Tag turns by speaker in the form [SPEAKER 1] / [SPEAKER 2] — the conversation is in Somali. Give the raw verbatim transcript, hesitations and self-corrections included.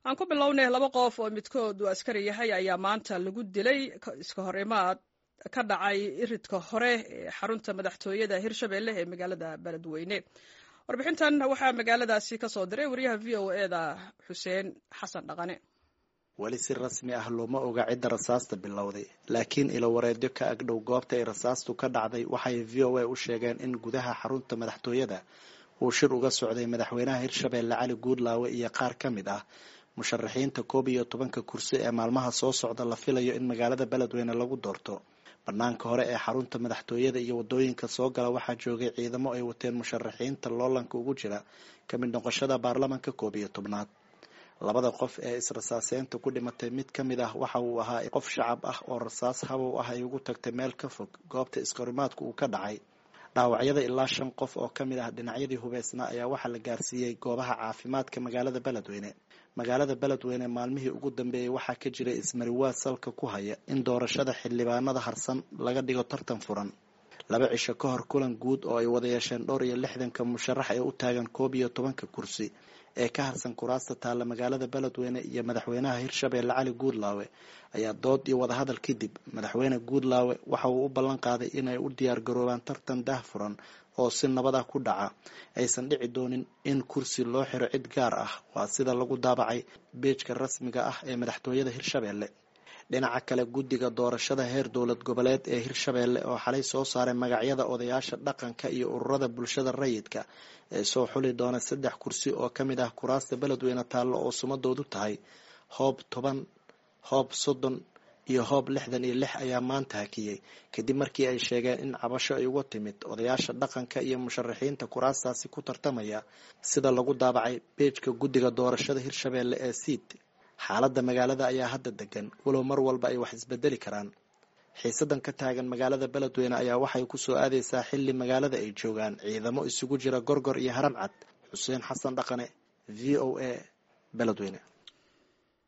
[SPEAKER 1] Aan ku bilownay, laba qof oo midkood uu askari yahay ayaa maanta lagu dilay iska hor imaad ka dhacay iridka hore ee xarunta madaxtooyada Hirshabelle ee magaalada Beledweyne. Warbixintan waxaa magaaladaasi ka soo diray wariyaha V O E da Xuseen Xasan Dhaqane.
[SPEAKER 2] Weli si rasmi ah looma oga cidda rasaasta bilowday, laakiin ilo wareedyo ka agdhow goobta ay rasaastu ka dhacday waxay V O A u sheegeen in gudaha xarunta madaxtooyada uu shir uga socday madaxweynaha Hirshabelle Cali Guudlaawe iyo qaar ka mid ah musharaxiinta koob iyo tobanka kursi ee maalmaha soo socda la filayo in magaalada Beledweyne lagu doorto. Banaanka hore ee xarunta madaxtooyada iyo wadooyinka soo gala waxaa joogay ciidamo ay wateen musharaxiinta loolanka ugu jira ka mid noqoshada baarlamanka koob iyo tobnaad. Labada qof ee israsaaseynta ku dhimatay mid ka mid ah waxa uu ahaa qof shacab ah oo rasaas habow ah ay ugu tagtay meel ka fog goobta iskahorimaadku uu ka dhacay. Dhaawacyada ilaa shan qof oo ka mid ah dhinacyadii hubeysnaa ayaa waxaa la gaarsiiyey goobaha caafimaadka magaalada Beledweyne. Magaalada Beledweyne maalmihii ugu dambeeyey waxaa ka jiray ismariwaa salka ku haya in doorashada xildhibaanada harsan laga dhigo tartan furan. Laba cisho ka hor, kulan guud oo ay wada yeesheen dhowr iyo lixdanka musharax ee u taagan koob iyo tobanka kursi ee ka harsan kuraasta taalla magaalada Beledweyne iyo madaxweynaha Hirshabelle Cali Guudlaawe ayaa dood iyo wadahadal kadib madaxweyne Guudlaawe waxa uu u ballan qaaday inay u diyaar garoobaan tartan daah furan oo si nabad ah ku dhaca, aysan dhici doonin in kursi loo xiro cid gaar ah. Waa sida lagu daabacay beejka rasmiga ah ee madaxtooyada Hirshabelle. Dhinaca kale, guddiga doorashada heer dowlad goboleed ee Hirshabelle oo xalay soo saaray magacyada odayaasha dhaqanka iyo ururada bulshada rayidka ee soo xuli doona saddex kursi oo ka mid ah kuraasta Beledweyne taallo oo sumadoodu tahay hoob toban, hoob soddon iyo hoob lixdan iyo lix ayaa maanta hakiyey, kadib markii ay sheegeen in cabasho ay uga timid odayaasha dhaqanka iyo musharaxiinta kuraastaasi ku tartamaya, sida lagu daabacay beejka guddiga doorashada Hirshabelle ee SIID. Xaaladda magaalada ayaa hadda degan, walow mar walba ay wax isbedeli karaan. Xiisadan ka taagan magaalada Beledweyne ayaa waxay kusoo aadeysaa xilli magaalada ay joogaan ciidamo isugu jira Gorgor iyo Haram Cad. Xuseen Xasan Dhaqane, V O A, Beledweyne.